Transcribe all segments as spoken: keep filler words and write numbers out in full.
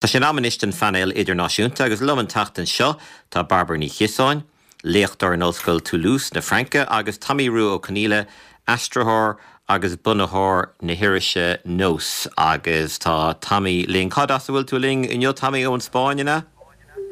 Tá sé in am anois don phainéal idirnáisiúnta agus liom an tseachtain seo tá Bairbre Ní Chiosáin, léachtóir in Ollscoil Toulouse na Fraince agus Tommy Rua Ó Conghaile, aistritheoir agus bunaitheoir na hirise Nós agus tá Tommy linn Cad as a bhfuil tú linn inniu Tommy ón Spáinn an ea?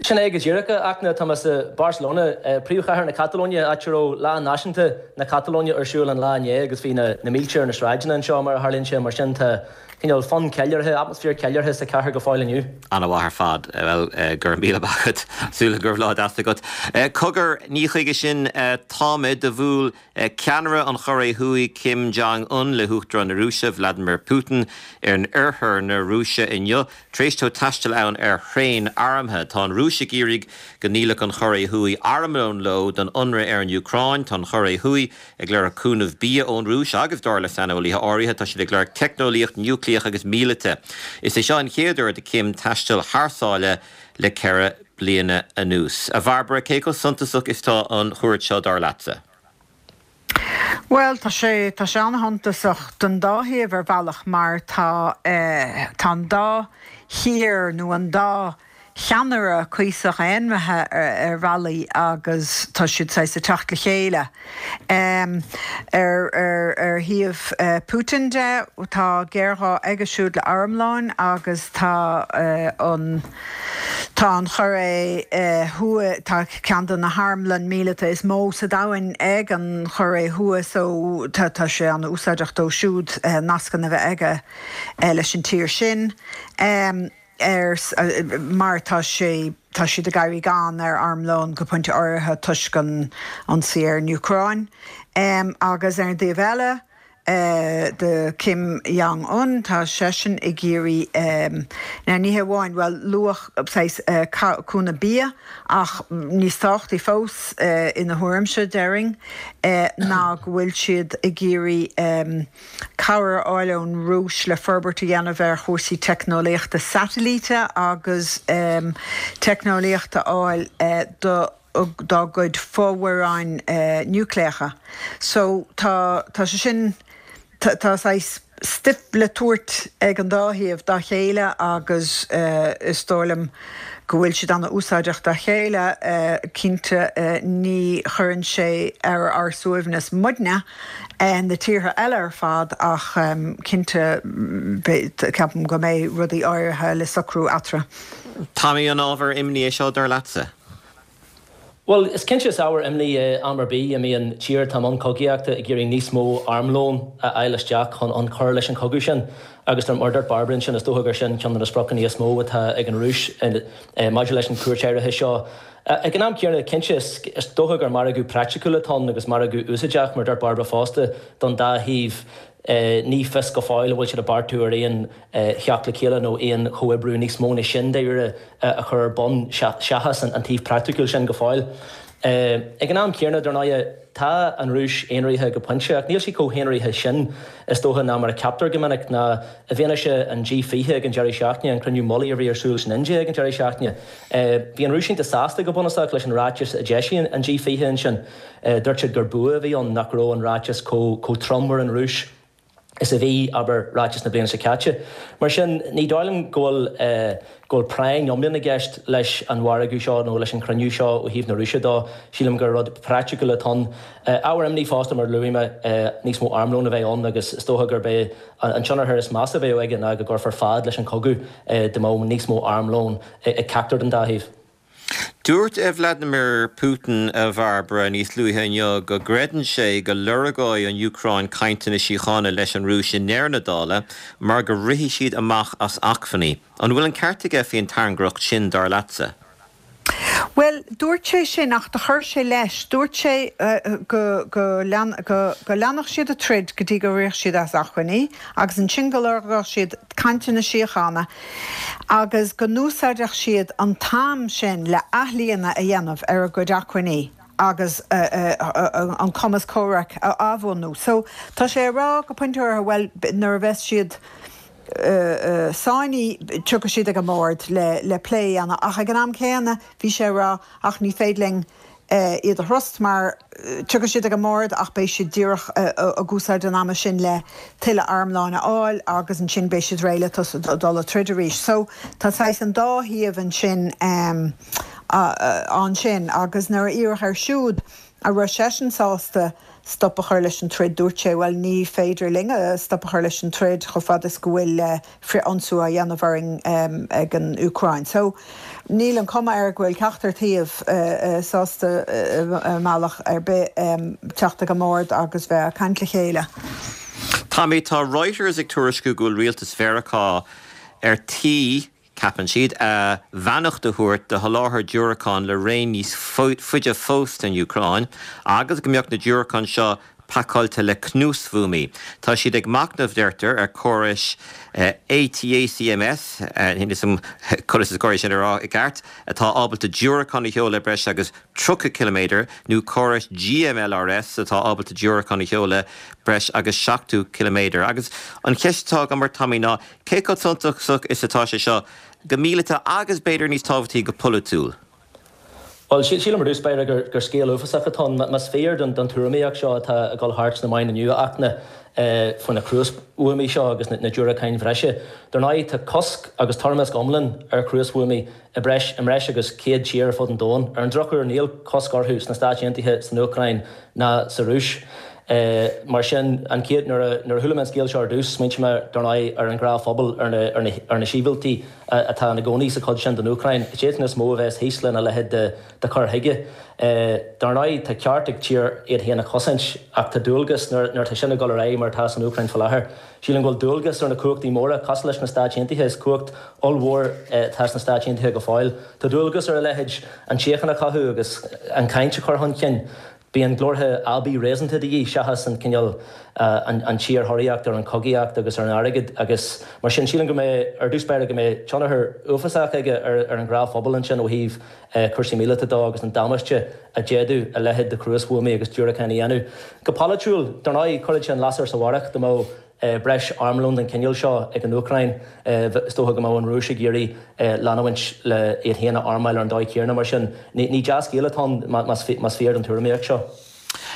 Sin é go díreach Fhachtna tá sa Barcelona príomhchathair na Catalóine áit a raibh lá náisiúnta na Catalóine ar siúl an lá inné agus bhí na na mílte ar na sráideanna anseo mar a tharlaíonn sé mar sin tá cineál fonn ceiliúrtha atmaisféar ceiliúrtha sa chathair go fóill inniu. An-mhaith ar fad well gur míle bacad súla gur lá agat. Cogar ní chuige sin táid do bhuail ceannaire an Chóiré Thuaidh Kim Jong-un le hUachtarán na Rúise Vladimir Putin ar an oirthear na Rúise inniu, tar éis dó taisteal ann ar thraein armtha. Tá an Rúis ag iarraidh go ndíolfadh an Chóiré Thuaidh armlón leo don ionradh ar an Úcráin, Tá an Chóiré Thuaidh ag lorg cúnamh bia ón Rúis agus dar le saineolaithe áirithe tá siad ag lorg teicneolaíocht núicléach agus míleata. Is é seo an chéad uair do Kim taisteal thar sáile le ceithre bliana anuas. A Bhairbre cé chomh suntasach is atá an chuairt seo dar leatsa. Well tá sé tá sé an-shuntasach don dá thaobh ar bhealach mar tá eh, tá an dá thír nó an dá cheannaire cuíosach aonraithe ar, ar bhealaí agus tá siad sa teacht le chéile. Um, ar, ar, ar thaobh uh, Putin de tá géarghá aige siúd le armlón agus tá uh, an Tá an Chóiré Thuaidh tá ceann de na harmlanna míleata is mó sa domhan ag an Chóiré Thuaidh so tá tá sé an-úsáideach dó siúd uh, nascanna a bheith aige uh, leis an tír sin. Um, ar mar tá sé tá siad ag éirí gann ar armlón go pointe áirithe toisc an ionsaí ar an Úcráin. Um, agus ar an dtaobh eile, uh, de Kim Jong-un tá seisean ag iarraidh um, na ní hamháin well luach uh, cúnamh bia ach níos tábhachtaí fós uh, ina thuairimse déarfainn uh, ná go bhfuil siad ag iarraidh um, cabhair a fháil ón Rúis le forbairt a dhéanamh ar chúrsaí teicneolaíochta satailíte agus um, teicneolaíochta áil uh, do dá gcuid fomhuireáin uh, núicléacha. So tá tá sé sin tá stuif le tabhairt ag an dá thaobh dá chéile agus uh, is dóigh liom go bhfuil siad an-úsáideach dá chéile uh, cinnte uh, ní chuireann sé ar ár suaimhneas muidne na tíortha eile ar fad ach um, cinnte ceapaim go mbeidh rudaí áirithe le socrú eatarthu. Tá an ábhar imní é seo dar leatsa. Well, is cinnte is ábhar imní am ar bith a mbíonn tír atá i mbun cogaíochta ag iarraidh níos mó armlón a fháil isteach chun an chur leis an cogadh sin agus mar a dúirt Bairbre sin is dócha gur sin ceann de na spriocanna is mó atá ag an Rúis maidir leis an cuairt áirithe seo. Ag an am céanna cinnte is dócha gur margadh praiticiúil atá ann agus margadh úsáideach mar a dúirt Bairbre fosta don dá thaobh ní fios go fóill bhfuil siad ag beartú ar aon theacht le chéile nó aon chomhoibriú níos mó ná sin de a chur bun seachas an taobh praiticiúil sin go fóill. Ag an am céanna dar ndóigh tá an Rúis aonraithe go pointe ach níl sí chomh haonraithe sin is dócha ná mar a ceaptar go minic ná i bhfianaise an G fiche ag an deireadh seachtaine an cruinniú mullaigh a bhí ar siúl san India ag an deireadh seachtaine. Bhí an Rúis iontach sásta go bunúsach leis an ráiteas a d'eisigh an G fiche ansin. Dúirt siad gur bua a bhí ann nach raibh an ráiteas chomh trom ar an Rúis. is a bhí abair ráiteas na bliana seo caite. Mar sin ní dóigh liom go bhfuil go bhfuil práinn iomlán i gceist leis an mhargadh seo nó leis an chruinniú seo ó thaobh na Rúise dó, sílim gur rud praiticiúil atá ann. Ábhar imní fosta mar luaigh mé níos mó armlón a bheith ann agus is dócha gurb é an tionchar is measa a bheadh aige ná go gcuirfear fad leis an cogadh dá mbeadh níos mó armlón ag ceachtar den dá thaobh. Dúirt Vladimir Putin a Bhairbre níos luaithe inniu go gcreideann sé go lorgóidh an Úcráin cainteanna síochána leis an Rúis i ndeireadh na dála mar go rithfidh siad amach as acmhainní. An bhfuil an ceart aige faoin tairngreacht sin dar leatsa? Well, dúirt sé sin ach do chuir sé leis, dúirt sé uh, go, go, lean, go, go leanfadh siad an troid go dtí go rithfeadh siad as acmhainní, agus ansin go lorgódh siad cainteanna síochána, agus go n-úsáidfeadh siad an t-am sin le athlíonadh a dhéanamh ar a gcuid acmhainní agus uh, uh, uh, an cumas comhraic a athbhunú. So tá sé ag rá go pointe well nuair a bheas siad Uh, uh, sáinní tiocfaidh siad ag an mbord le, le plé anna ach ag an am céanna bhí sé ag rá ach ní féidir linn iad a thrust mar tiocfaidh siad ag an mbord ach beidh siad díreach ag úsáid an ama sin le tuilleadh armlóin a fháil agus ansin beidh siad réidh le dul ag troid arís. So tá saghas an dá thaobh ansin ansin agus nuair a iarradh air siúd an raibh seisean sásta stop a chur leis an troid, dúirt sé, bhuel ní féidir linn stop a chur leis an troid chomh fada is go bhfuil frith-ionsaí á dhéanamh orainn ag an Úcráin. So níl an cuma air go bhfuil ceachtar taobh sásta i mbealach ar bith teacht ag an mbord agus bheith ag caint le chéile. Tommy, tá Reuters ag tuairisciú go bhfuil rialtas Mheiriceá ar tí, ceapann siad, a bheannacht a thabhairt do sholáthar diúracán le raon níos faide fós don Úcráin agus go mbeadh na diúracáin seo pacáilte le cnuasbhuamaí. Tá siad ag machnamh, deirtear, ar chórais ATACMS, níl a fhios agam conas is cóir é sin a rá i gceart, atá ábalta diúracán a sheoladh breis agus tríocha ciliméadar, nó córais GMLRS atá ábalta diúracán a sheoladh breis agus seachtó ciliméadar. Agus an cheist atá agam ort, Tommy, ná cé chomh suntasach is atá sé seo go míleata agus b'fhéidir níos tábhachtaí go polaitiúil? Bhuel, sílim ar dtús báire gur gur scéal uafásach atá ann. Más fíor don don tuairimíocht seo atá ag dul thart sna meáin inniu, a Fhachtna, faoi na cruasbhuamaí seo agus na diúracáin bhreise, dar ndóigh tá cosc agus toirmeasc iomlán ar chruasbhuamaí i breis i mbreis agus céad tír ar fud an domhain. Ar an drochuair níl cosc orthu sna Stáit Aontaithe, san Úcráin ná sa Rúis. Mar sin, an chéad, nuair a, nuair a chuala mé an scéal seo ar dtús, smaointigh mé, dar ndóigh, ar an ghnáthphobal, ar na, ar na, ar na sibhialtaigh atá ina gcónaí sa chuid sin den Úcráin. Is iadsan is mó a bheas thíos lena leithéid de, de chur chuige. Dar ndóigh, tá ceart ag tír iad féin a chosaint, ach tá dualgas, nuair, nuair atá sin ag dul ar aghaidh mar atá san Úcráin faoi láthair, sílim go bhfuil dualgas ar na cumhachtaí móra, cosúil leis na Stáit Aontaithe, is cumhacht ollmhór atá sna Stáit Aontaithe go fóill, tá dualgas ar a leithéid an tsíocháin a chothú agus an chaint a chur chun cinn. Bíonn glórtha aibí réasúnta de dhíth seachas an cineál, an tsíorthóraíocht ar an chogaíocht agus ar an airgead agus mar sin sílim go mbeidh, ar dtús báire, go mbeidh tionchar uafásach aige ar an ghnáthphobal ansin ó thaobh cúrsaí míleata de agus an damáiste a d'fhéadfadh a leithéid de chruasbhuamaí agus diúracáin a dhéanamh. Go polaitiúil, dar ndóigh, chuirfeadh sé an lasair sa bharrach dá mbeadh breis armlóin den chineál seo ag an Úcráin. Is dócha go mbeadh an Rúis ag iarraidh leanúint le iad féin a armáil ar an dóigh chéanna. Mar sin, ní dea-scéal atá ann más fíor don tuairimíocht seo.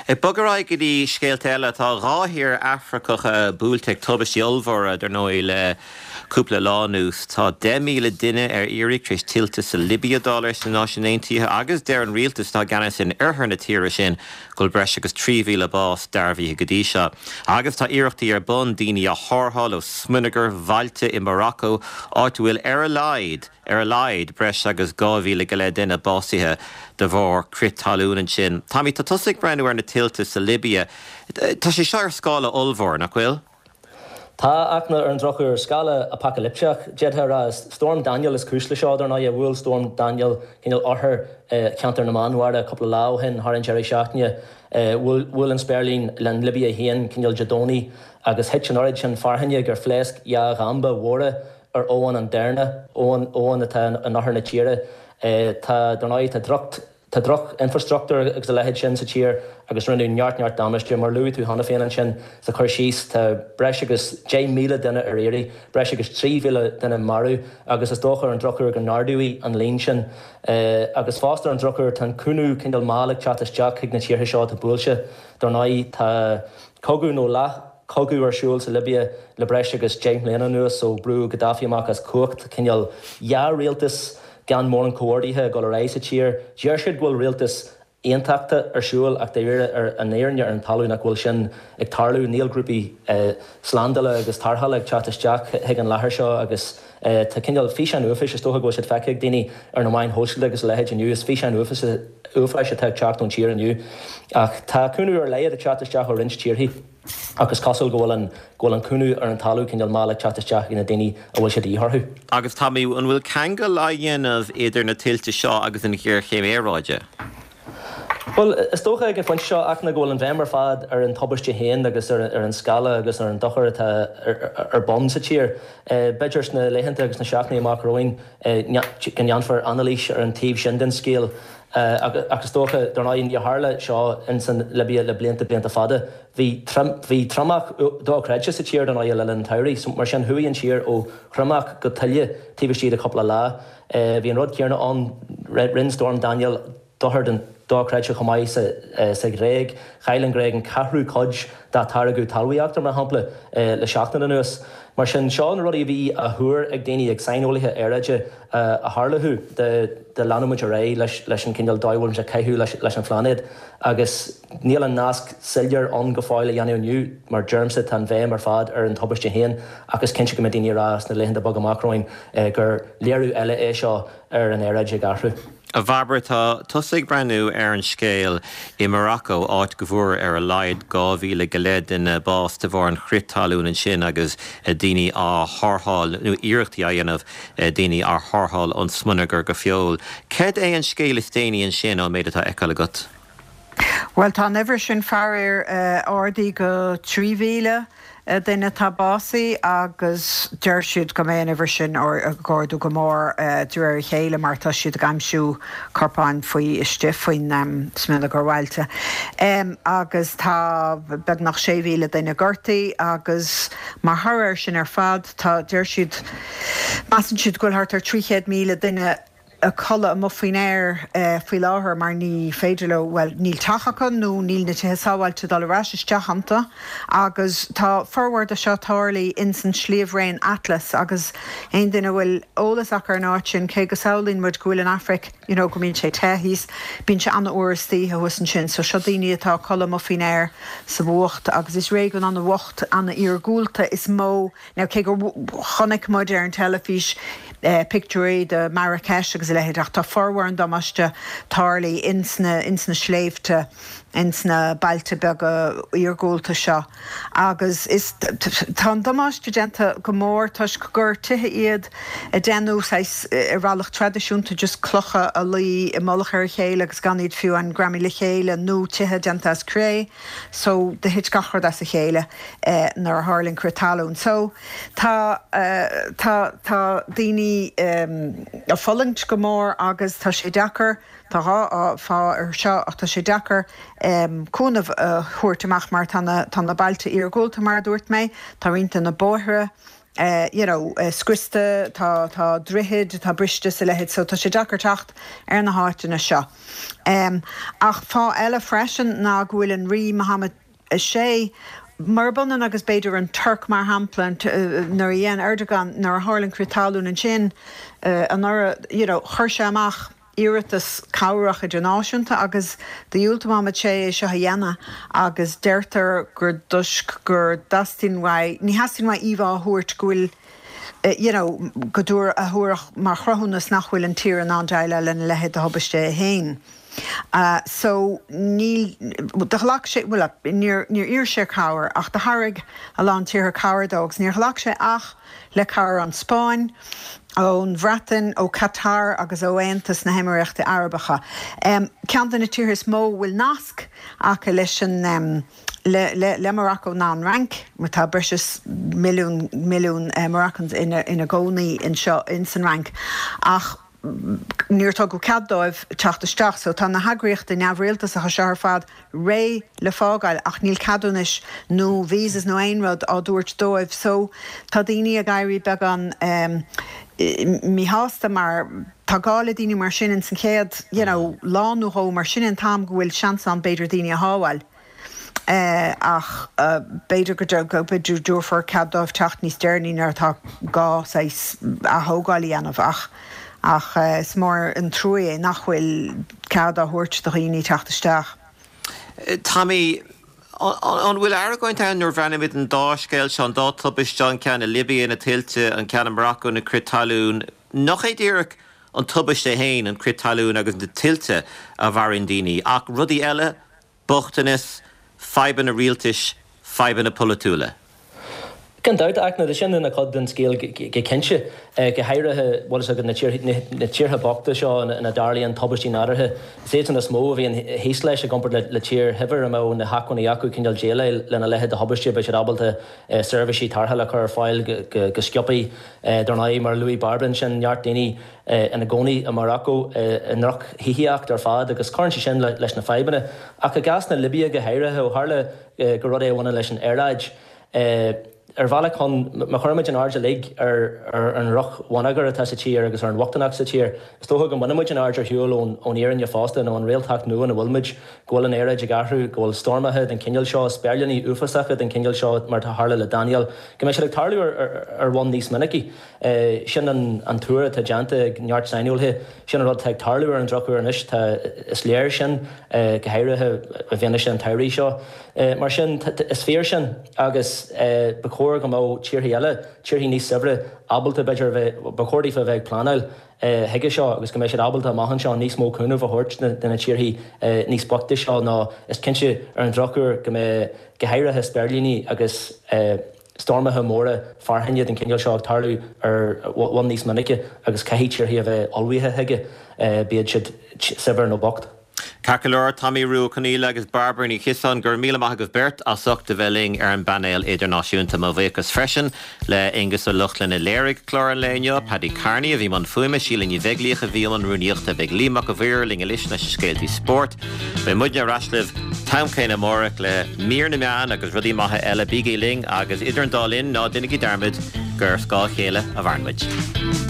Ag bogadh ar aghaidh go dtí scéalta eile, tá dhá thír Afracacha buailte ag tubaistí ollmhóra, dar ndóigh, le cúpla lá anuas. Tá deich míle duine ar iarraidh tar éis tuilte sa Libia, dar leis na Náisiúin Aontaithe, agus deir an rialtas atá i gceannas in oirthear na tíre sin go bhfuil breis agus trí mhíle bás dearbhaithe go dtí seo. Agus tá iarrachtaí ar bun daoine a tharrtháil ó smionagar bhailte i Morocco, áit a bhfuil ar a laghad, ar a laghad, breis agus dhá mhíle go leith duine básaithe de bharr crith talún ansin. Tommy, tá tusa ag breathnú ar na tuilte sa Libia. Tá sé seo ar scála ollmhór, nach bhfuil? Tá, ach ar an drochuair, scála apacailipteach, d'fhéadfá a rá. Is Storm Daniel is cúis le seo, dar ndóigh. Bhuail Storm Daniel cineál oirthear cheantar na Meánmhara cúpla lá ó shin, thar an deireadh seachtaine. Bhuail an spéirling le an Libia féin cineál Dé Domhnaigh agus thit an oiread sin fearthainne gur phléasc dhá dhamba mhóra ar abhainn an Derna, abhainn, abhainn atá in oirthear na tíre. Tá, dar ndóigh, tá droch, tá droch-infreastruchtúr agus a leithéid sin sa tír agus rinneadh neart, neart damáiste. Mar a luaigh tú cheana féin ansin sa chur síos, tá breis agus deich míle duine ar iarraidh, breis agus trí mhíle duine marbh agus is dócha ar an drochuair go n-ardóidh an líon sin. Agus fosta ar an drochuair tá an cúnamh cineál mall ag teacht isteach chuig na tíortha seo atá buailte. Dar ndóigh, tá cogadh nó leath. cogadh ar siúl sa Libia le breis agus deich mbliana anuas ó brúdh Gaddafi amach as cumhacht, cineál dhá rialtas gan mórán comhordaithe ag dul ar aghaidh sa tír. Deir siad go bhfuil rialtas aontachta ar siúl ach dáiríre ar an fhírinne ar an talamh nach bhfuil sin ag tarlú. Níl grúpaí slándála agus tarrthála ag teacht isteach chuig an láthair seo agus tá cineál físeáin uafáis, is dócha go bhfuil siad feicthe ag daoine ar na meáin shóisialta agus a leithéid inniu, is físeáin uafáis atá ag teacht ón tír inniu. Ach tá cúnamh ar laghad ag teacht isteach ó roinnt tíorthaí. Ach is cosúil go bhfuil an go bhfuil an cúnamh ar an talamh cineál mall ag teacht isteach ag na daoine a bhfuil sé de dhíth orthu. Agus Tommy, an bhfuil ceangal á dhéanamh idir na tuilte seo agus an ghéarchéim aeráide? Bhuel, is dócha ag an phointe seo, Fhachtna, go bhfuil an bhéim ar fad ar an tubaiste féin agus ar an scála agus ar an dochar atá ar bun sa tír. B'fhéidir sna laethanta agus sna seachtainí amach romhainn go ndéanfar anailís ar an taobh sin den scéal. Ach is dócha, dar ndóigh, níor tharla seo ins an Libia le blianta, blianta fada. Bhí bhí triomach dochreidte sa tír, dar ndóigh, le linn an tsamhraidh. Mar sin, chuaigh an tír ó thriomach go tuile taobh istigh de chúpla lá. Bhí an rud céanna ann, rinne Storm Daniel dochar den dochreidte chomh maith sa Ghréig. Chaill an Ghréig an ceathrú cuid dá táirgeadh talmhaíochta, mar shampla, le seachtain anuas. Mar sin, seo na rudaí a bhí á thuar ag daoine, ag saineolaithe aeráide, a tharlódh dá leanfadh muid ar aghaidh leis an cineál dóigh a bhfuil muid ag caitheamh leis an phláinéad. Agus níl an nasc soiléir ann go fóill a dhéanamh inniu, mar deirimse, tá an bhéim ar fad ar an tubaiste féin ach is cinnte go mbeidh daoine ag rá sna laethanta beaga amach romhainn gur léiriú eile é seo ar an aeráid ag athrú. A Bhairbre, tá tusa ag breathnú ar an scéal i Morocco, áit go bhfuair ar a laghad dhá mhíle go leith duine bás de bharr an chrith talún ansin agus daoine á tharrtháil, nó iarrachtaí á dhéanamh daoine a tharrtháil ón smionagar go fóill. Céard é an scéal is déanaí ansin ón méid atá á fheiceáil agat? Bhuel, tá an uimhir sin faraor ardaithe go trí mhíle duine atá básaithe agus deir siad go mbeidh an uimhir sin ag ardú go mór de réir a chéile mar tá siad ag aimsiú corpáin faoi istigh faoin smionagar bhailte. Agus tá beagnach sé mhíle duine gortaithe agus mar thoradh air sin ar fad tá, deir siad, measann siad go bhfuil thart ar trí chéad míle duine ag codladh amuigh faoin aer faoi láthair mar ní féidir leo, bhuel, níl teach acu nó níl na tithe sábháilte dul ar ais isteach iontu agus tá formhór de seo tarlaithe ins an sliabhraon Atlas agus aon duine a bhfuil eolas acu ar an áit sin, cé go samhlaíonn muid go bhfuil an Afraic, you know, go mbíonn sé te thíos, bíonn sé an-fhuar istoíche thuas ansin. So seo daoine atá ag codladh amuigh faoin aer sa bhfuacht agus is réigiún an-bhocht, an-iargúlta is mó. Now cé gur chonaic muid ar an teilifís pictiúirí de Marrakesh agus a leithéid ach tá formhór an damáiste tarlaithe ins na ins na sléibhte, ins na bailte beaga iargúlta seo agus is tá an damáiste déanta go mór toisc gur tithe iad a déanadh saghas ar bhealach traidisiúnta just clocha a luí i mullach ar a chéile agus gan iad fiú an greamaithe le chéile nó tithe déanta as cré so do thit gach rud as a chéile nuair a tharla an crith talún. So tá tá tá daoine ag fulaingt go mór agus tá sé deacair, tá dhá fáth ar seo ach tá sé deacair cúnamh a thabhairt amach mar tá na tá na bailte iargúlta mar a dúirt mé, tá roinnt de na bóithre you know scriosta, tá tá droichid atá briste is a leithéid so tá sé deacair teacht ar na háiteanna seo. Ach fáth eile freisin ná go bhfuil an Rí Mohammed a sé, murab ionann agus b'fhéidir an Tuirc mar shampla, nuair a dhein Erdogan, nuair a tharla an crith talún ansin anuraidh, you know, chuir sé amach iarratas cabhrach idirnáisiúnta agus dhiúltaigh Mohammed sé é seo a dhéanamh agus deirtear gur toisc go dteastaíonn uaidh, ní theastaíonn uaidh íomhá a thabhairt go bhfuil you know, go dtabhar a thabharfadh mar chruthúnas nach bhfuil an tír in ann déileáil lena leithéid de thubaiste é féin. So níl, do ghlac sé, bhuel, níor, níor iarr sé cabhair ach do thairg a lán tíortha cabhair dó agus níor ghlac sé ach le cabhair ón Spáinn, ón Bhreatain, ó Qatar agus ó Aontas na hÉimiríochtaí Arabacha. Ceann de na tíortha is mó a bhfuil nasc acu leis an, le, le, le Morocco ná an Fhrainc, mar tá breis is milliún, milliún Moroccans ina, ina gcónaí anseo ins an Fhrainc. Ach níor tugadh cead dóibh teacht isteach. So tá na heagraíochtaí neamhrialtasacha seo ar fad réidh le fágáil ach níl ceadúnais nó visas nó aon rud á dtabhairt dóibh. So tá daoine ag éirí beagán míshásta mar tá gá le daoine mar sin ins an chéad you know lá nó dhó mar sin an t-am go bhfuil seans ann b'fhéidir daoine a shábháil. Ach b'fhéidir go dtabharfar cead dóibh teacht níos deireanaí nuair atá gá saghas athógáil a dhéanamh ach ach is mór an trua é nach bhfuil cead á thabhairt do dhaoine teacht isteach. Tommy, an bhfuil argóint ann nuair a bhreathnaímid an dá scéal seo, an dá tubaiste, an ceann i Libia, na tuilte, an ceann i Morocco, na crith talún, nach é díreach an tubaiste féin, an crith talún agus na tuilte a mharaíonn daoine, ach rudaí eile, bochtanas, fadhbanna rialtais, fadhbanna polaitiúla? Gan dabht, ach tá sin ina chuid den scéal go cinnte, go háirithe, bhfuil fhios agat, na tíortha bochta seo ina dtarlaíonn tubaistí nádúrtha. Is iadsan is mó a bhíonn thíos leis i gcomparáid le tír shaibhir a mbeadh na hacmhainní acu cineál déileáil lena leithéid de thubaiste, beidh siad ábalta seirbhísí tarrthála a chur ar fáil go sciobtha. Dar ndóigh, mar a luaigh Bairbre ansin, neart daoine ina gcónaí i Morocco i ndroch-thithíocht ar fad agus cuireann sé sin leis na fadhbanna. Ach i gcás na Libia go háirithe, ó tharla gur rud é a bhaineann leis an aeráid, Ar bhealach chun, má chuirimid an aird uilig ar an ndroch-bhonneagar atá sa tír agus ar an bhochtaineacht sa tír, is dócha go mbainfimid an aird ar shiúl ón fhírinne fosta nó an réaltacht nua ina bhfuilimid, go bhfuil an aeráid ag athrú, go bhfuil stoirmeacha den chineál seo, spéirlíní uafásacha den chineál seo mar atá tharla le Daniel, go mbeidh siad ag tarlú ar bhonn níos minicí. Sin an tuar atá déanta ag neart saineolaithe. Sin an rud atá ag tarlú ar an drochuair anois. Tá, is léir sin, go háirithe i bhfianaise an tsamhraidh seo. Mar sin, is fíor sin agus ba chóir go mbeadh tíortha eile, tíortha níos saibhre, ábalta, b'fhéidir, a bheith, ba chóir daofa a bheith ag pleanáil chuige seo agus go mbeidh siad ábalta amach anseo níos mó cúnamh a thabhairt do na tíortha níos boichte seo nó is cinnte ar an drochuair go mbeidh, go háirithe spéirlíní agus stoirmeacha móra fearthainne den chineál seo ag tarlú ar bhonn níos minice agus caithfidh tíortha a bheith ullmhaithe chuige, bíodh siad saibhir nó bocht. Ceart go leor, Tomaí Rua Ó Conghaile agus Bairbre Ní Chiosáin, go raibh míle maith agaibh beirt as ucht a bheith linn ar an bpainéal idirnáisiúnta. Mo bhuíochas freisin le Aonghus Ó Lochlainn a léirigh clár an lae inniu, Paddy Kearney a bhí i mbun fuaime, Síle Ní Bheaglaoich a bhí i mbun rúnaíochta. Beidh Liam Mac a' Mhaoir linn anois leis na scéaltaí spóirt. Beidh muidne ar ais libh t-am céanna amárach le mír na meán agus rudaí maithe eile. Bígí linn agus idir an dá linn, ná déanaigí dearmad gur ar scáth a chéile a mhaireann muid.